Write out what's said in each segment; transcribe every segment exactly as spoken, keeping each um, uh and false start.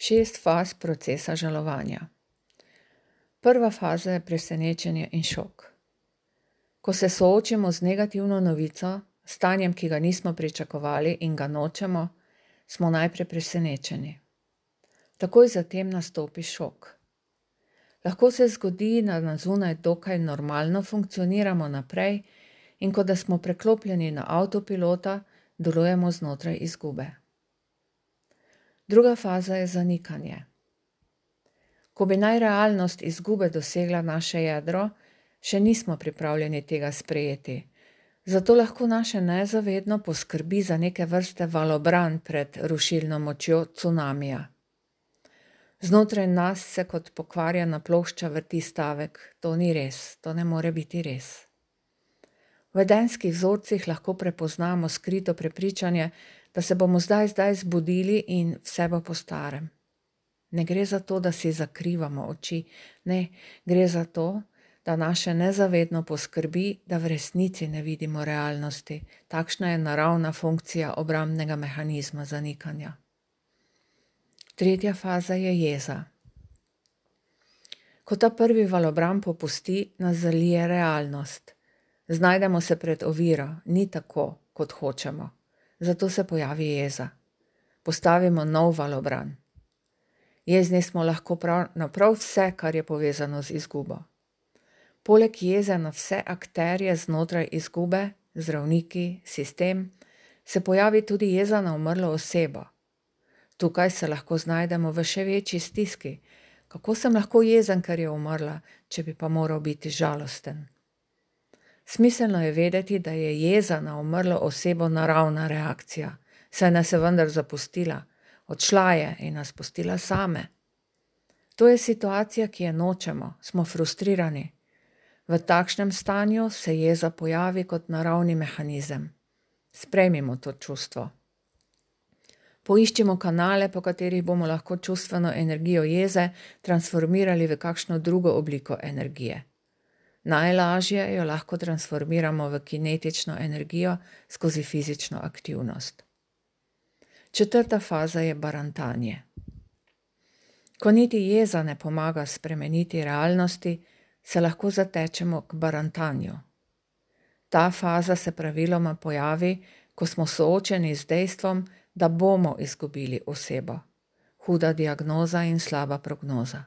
Šest faz procesa žalovanja. Prva faza je presenečenje in šok. Ko se soočimo z negativno novico, stanjem, ki ga nismo pričakovali in ga nočemo, smo najprej presenečeni. Takoj zatem nastopi šok. Lahko se zgodi, da na zunaj dokaj normalno funkcioniramo naprej in kot da smo preklopljeni na avtopilota, delujemo znotraj izgube. Druga faza je zanikanje. Ko bi naj realnost izgube dosegla naše jedro, še nismo pripravljeni tega sprejeti. Zato lahko naše nezavedno poskrbi za neke vrste valobran pred rušilno močjo cunamija. Znotraj nas se kot pokvarjena plošča vrti stavek: to ni res, to ne more biti res. V vedenjskih vzorcih lahko prepoznamo skrito prepričanje, da se bomo zdaj zdaj zbudili in vse bo po starem. Ne gre za to, da si zakrivamo oči, ne, gre za to, da naše nezavedno poskrbi, da v resnici ne vidimo realnosti. Takšna je naravna funkcija obrambnega mehanizma zanikanja. Tretja faza je jeza. Ko ta prvi valobran popusti, nas zalije realnost. Znajdemo se pred oviro, ni tako, kot hočemo. Zato se pojavi jeza. Postavimo nov valobran. Jezni smo lahko prav, na prav vse, kar je povezano z izgubo. Poleg jeze na vse akterje znotraj izgube, zdravniki, sistem, se pojavi tudi jeza na umrlo osebo. Tukaj se lahko znajdemo v še večji stiski. Kako sem lahko jezen, ker je umrla, če bi pa moral biti žalosten? Smiselno je vedeti, da je jeza na umrlo osebo naravna reakcija, saj nas je vendar zapustila. Odšla je in nas pustila same. To je situacija, ki je nočemo, smo frustrirani. V takšnem stanju se jeza pojavi kot naravni mehanizem. Sprejmimo to čustvo. Poiščimo kanale, po katerih bomo lahko čustveno energijo jeze transformirali v kakšno drugo obliko energije. Najlažje jo lahko transformiramo v kinetično energijo skozi fizično aktivnost. Četrta faza je barantanje. Ko niti jeza ne pomaga spremeniti realnosti, se lahko zatečemo k barantanju. Ta faza se praviloma pojavi, ko smo soočeni z dejstvom, da bomo izgubili osebo. Huda diagnoza in slaba prognoza.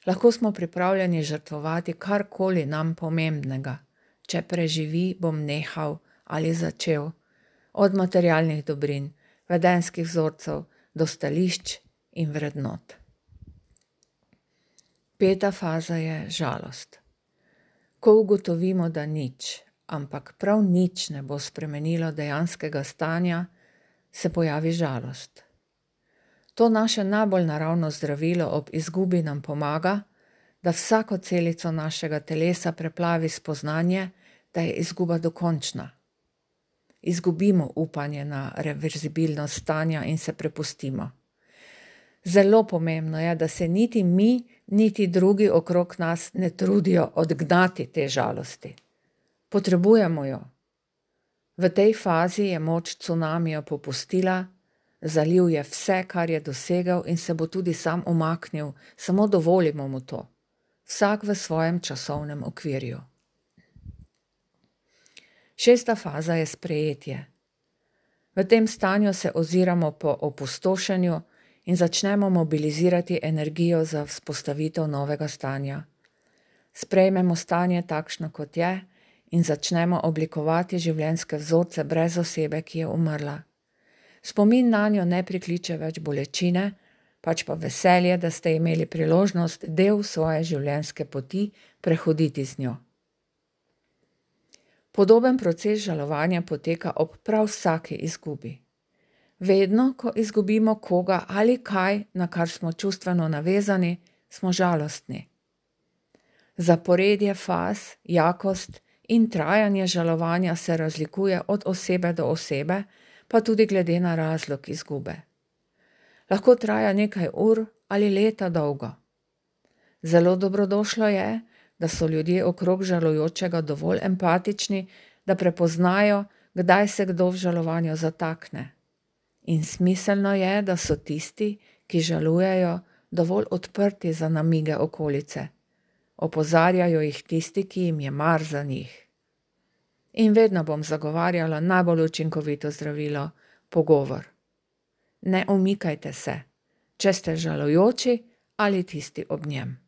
Lahko smo pripravljeni žrtvovati karkoli nam pomembnega. Če preživi, bom nehal ali začel. Od materialnih dobrin, vedenjskih vzorcev, do stališč in vrednot. Peta faza je žalost. Ko ugotovimo, da nič, ampak prav nič ne bo spremenilo dejanskega stanja, se pojavi žalost. To naše najbolj naravno zdravilo ob izgubi nam pomaga, da vsako celico našega telesa preplavi spoznanje, da je izguba dokončna. Izgubimo upanje na reverzibilnost stanja in se prepustimo. Zelo pomembno je, da se niti mi, niti drugi okrog nas ne trudijo odgnati te žalosti. Potrebujemo jo. V tej fazi je moč cunamija popustila, zalil je vse, kar je dosegel in se bo tudi sam umaknil, samo dovolimo mu to. Vsak v svojem časovnem okvirju. Šesta faza je sprejetje. V tem stanju se oziramo po opustošenju in začnemo mobilizirati energijo za vzpostavitev novega stanja. Sprejmemo stanje takšno, kot je, in začnemo oblikovati življenjske vzorce brez osebe, ki je umrla. Spomin nanjo ne prikliče več bolečine, pač pa veselje, da ste imeli priložnost del svoje življenjske poti prehoditi z njo. Podoben proces žalovanja poteka ob prav vsaki izgubi. Vedno, ko izgubimo koga ali kaj, na kar smo čustveno navezani, smo žalostni. Zaporedje faz, jakost in trajanje žalovanja se razlikuje od osebe do osebe, pa tudi glede na razlog izgube. Lahko traja nekaj ur ali leta dolgo. Zelo dobrodošlo je, da so ljudje okrog žalujočega dovolj empatični, da prepoznajo, kdaj se kdo v žalovanju zatakne. In smiselno je, da so tisti, ki žalujejo, dovolj odprti za namige okolice. Opozarjajo jih tisti, ki jim je mar za njih. In vedno bom zagovarjala najbolj učinkovito zdravilo, pogovor. Ne umikajte se, če ste žalujoči ali tisti ob njem.